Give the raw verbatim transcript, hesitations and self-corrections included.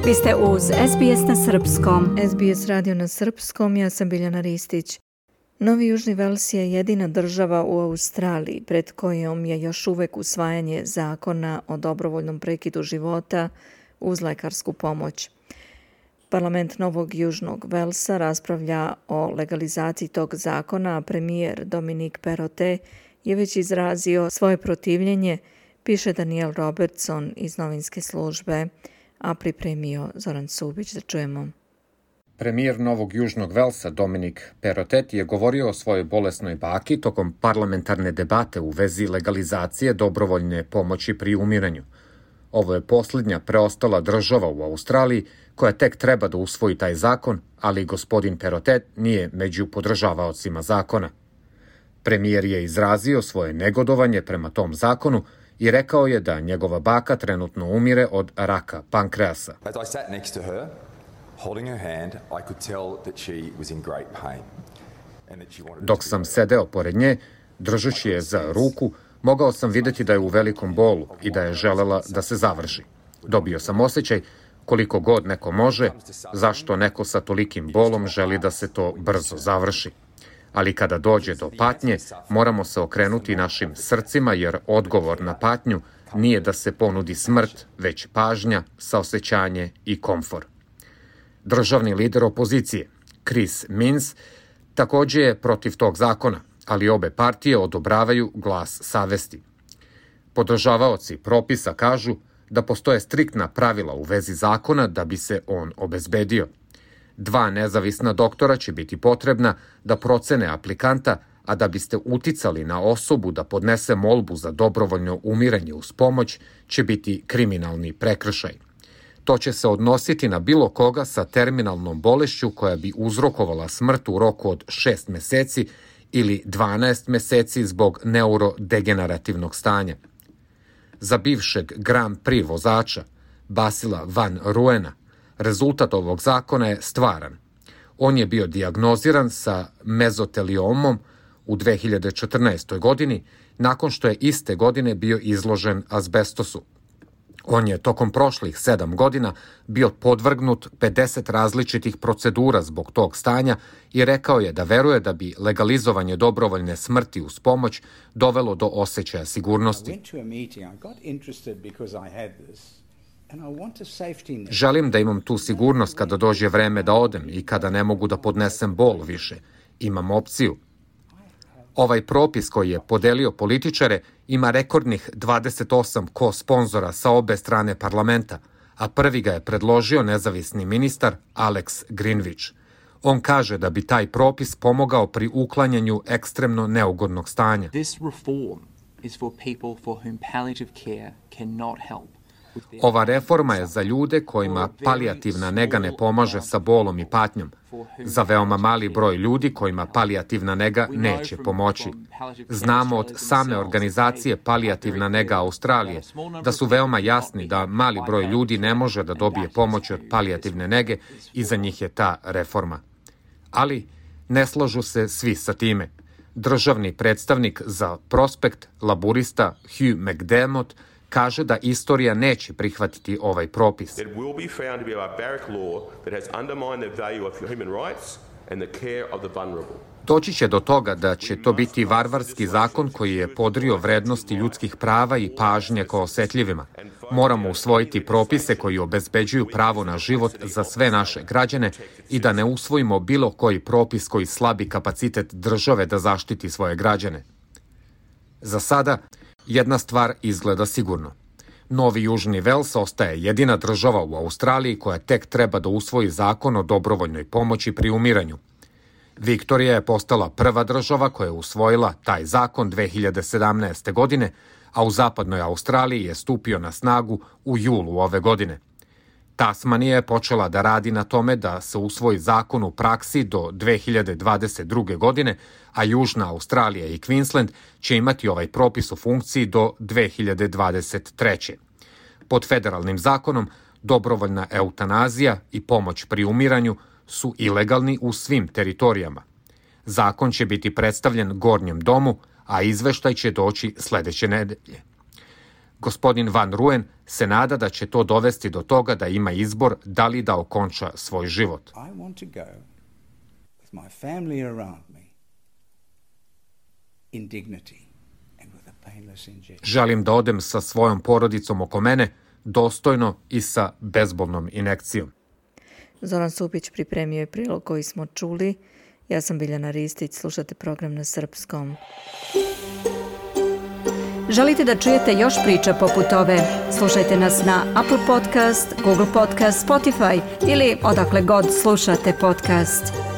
Vi ste uz S B S na srpskom. S B S radio na srpskom, ja sam Biljana Ristić. Novi Južni Vels je jedina država u Australiji pred kojom je još uvek usvajanje zakona o dobrovoljnom prekidu života uz lekarsku pomoć. Parlament Novog Južnog Velsa raspravlja o legalizaciji tog zakona, a premijer Dominic Perrottet je već izrazio svoje protivljenje, piše Daniel Robertson iz novinske službe, a pripremio Zoran Subić. Da čujemo. Premijer Novog Južnog Velsa Dominic Perrottet je govorio o svojoj bolesnoj baki tokom parlamentarne debate u vezi legalizacije dobrovoljne pomoći pri umiranju. Ovo je posljednja preostala država u Australiji koja tek treba da usvoji taj zakon, ali gospodin Perrottet nije među podržavaocima zakona. Premijer je izrazio svoje negodovanje prema tom zakonu i rekao je da njegova baka trenutno umire od raka pankreasa. Dok sam sedeo pored nje, držeći je za ruku, mogao sam vidjeti da je u velikom bolu i da je želela da se završi. Dobio sam osjećaj, koliko god neko može, zašto neko sa tolikim bolom želi da se to brzo završi. Ali kada dođe do patnje, moramo se okrenuti našim srcima, jer odgovor na patnju nije da se ponudi smrt, već pažnja, saosećanje i komfor. Državni lider opozicije, Chris Minns, također je protiv tog zakona, ali obe partije odobravaju glas savesti. Podržavaoci propisa kažu da postoje striktna pravila u vezi zakona da bi se on obezbedio. Dva nezavisna doktora će biti potrebna da procene aplikanta, a da biste uticali na osobu da podnese molbu za dobrovoljno umiranje uz pomoć će biti kriminalni prekršaj. To će se odnositi na bilo koga sa terminalnom bolešću koja bi uzrokovala smrt u roku od šest meseci ili dvanaest meseci zbog neurodegenerativnog stanja. Za bivšeg Grand Prix vozača Basila Van Ruena rezultat ovog zakona je stvaran. On je bio dijagnoziran sa mezoteliomom u dve hiljade četrnaestoj. godini, nakon što je iste godine bio izložen azbestosu. On je tokom prošlih sedam godina bio podvrgnut pedeset različitih procedura zbog tog stanja i rekao je da veruje da bi legalizovanje dobrovoljne smrti uz pomoć dovelo do osjećaja sigurnosti. Želim da imam tu sigurnost kada dođe vreme da odem i kada ne mogu da podnesem bol više. Imam opciju. Ovaj propis koji je podelio političare ima rekordnih dvadeset osam ko-sponzora sa obe strane parlamenta, a prvi ga je predložio nezavisni ministar Alex Greenwich. On kaže da bi taj propis pomogao pri uklanjanju ekstremno neugodnog stanja. This reform is for people for whom palliative care cannot help. Ova reforma je za ljude kojima palijativna nega ne pomaže sa bolom i patnjom, za veoma mali broj ljudi kojima palijativna nega neće pomoći. Znamo od same organizacije Palijativna nega Australije da su veoma jasni da mali broj ljudi ne može da dobije pomoć od palijativne nege i za njih je ta reforma. Ali ne slažu se svi sa time. Državni predstavnik za Prospekt, laburista Hugh McDermott, kaže da istorija neće prihvatiti ovaj propis. Doći će do toga da će to biti varvarski zakon koji je podrio vrednosti ljudskih prava i pažnje ka osetljivima. Moramo usvojiti propise koji obezbeđuju pravo na život za sve naše građane i da ne usvojimo bilo koji propis koji slabi kapacitet države da zaštiti svoje građane. Za sada, jedna stvar izgleda sigurno. Novi Južni Vels ostaje jedina država u Australiji koja tek treba da usvoji zakon o dobrovoljnoj pomoći pri umiranju. Viktorija je postala prva država koja je usvojila taj zakon dve hiljade sedamnaeste. godine, a u zapadnoj Australiji je stupio na snagu u julu ove godine. Tasmanija je počela da radi na tome da se usvoji zakon u praksi do dve hiljade dvadeset druge. godine, a Južna Australija i Queensland će imati ovaj propis u funkciji do dve hiljade dvadeset treće. Pod federalnim zakonom, dobrovoljna eutanazija i pomoć pri umiranju su ilegalni u svim teritorijama. Zakon će biti predstavljen Gornjem domu, a izveštaj će doći sledeće nedelje. Gospodin Van Rooyen se nada da će to dovesti do toga da ima izbor da li da okonča svoj život. I want to go with my family around me in dignity and with a painless injection. Želim da odem sa svojom porodicom oko mene, dostojno i sa bezbolnom injekcijom. Zoran Supić pripremio je prilog koji smo čuli. Ja sam Biljana Ristić, slušate program na srpskom. Želite da čujete još priča poput ove? Slušajte nas na Apple Podcast, Google Podcast, Spotify ili odakle god slušate podcast.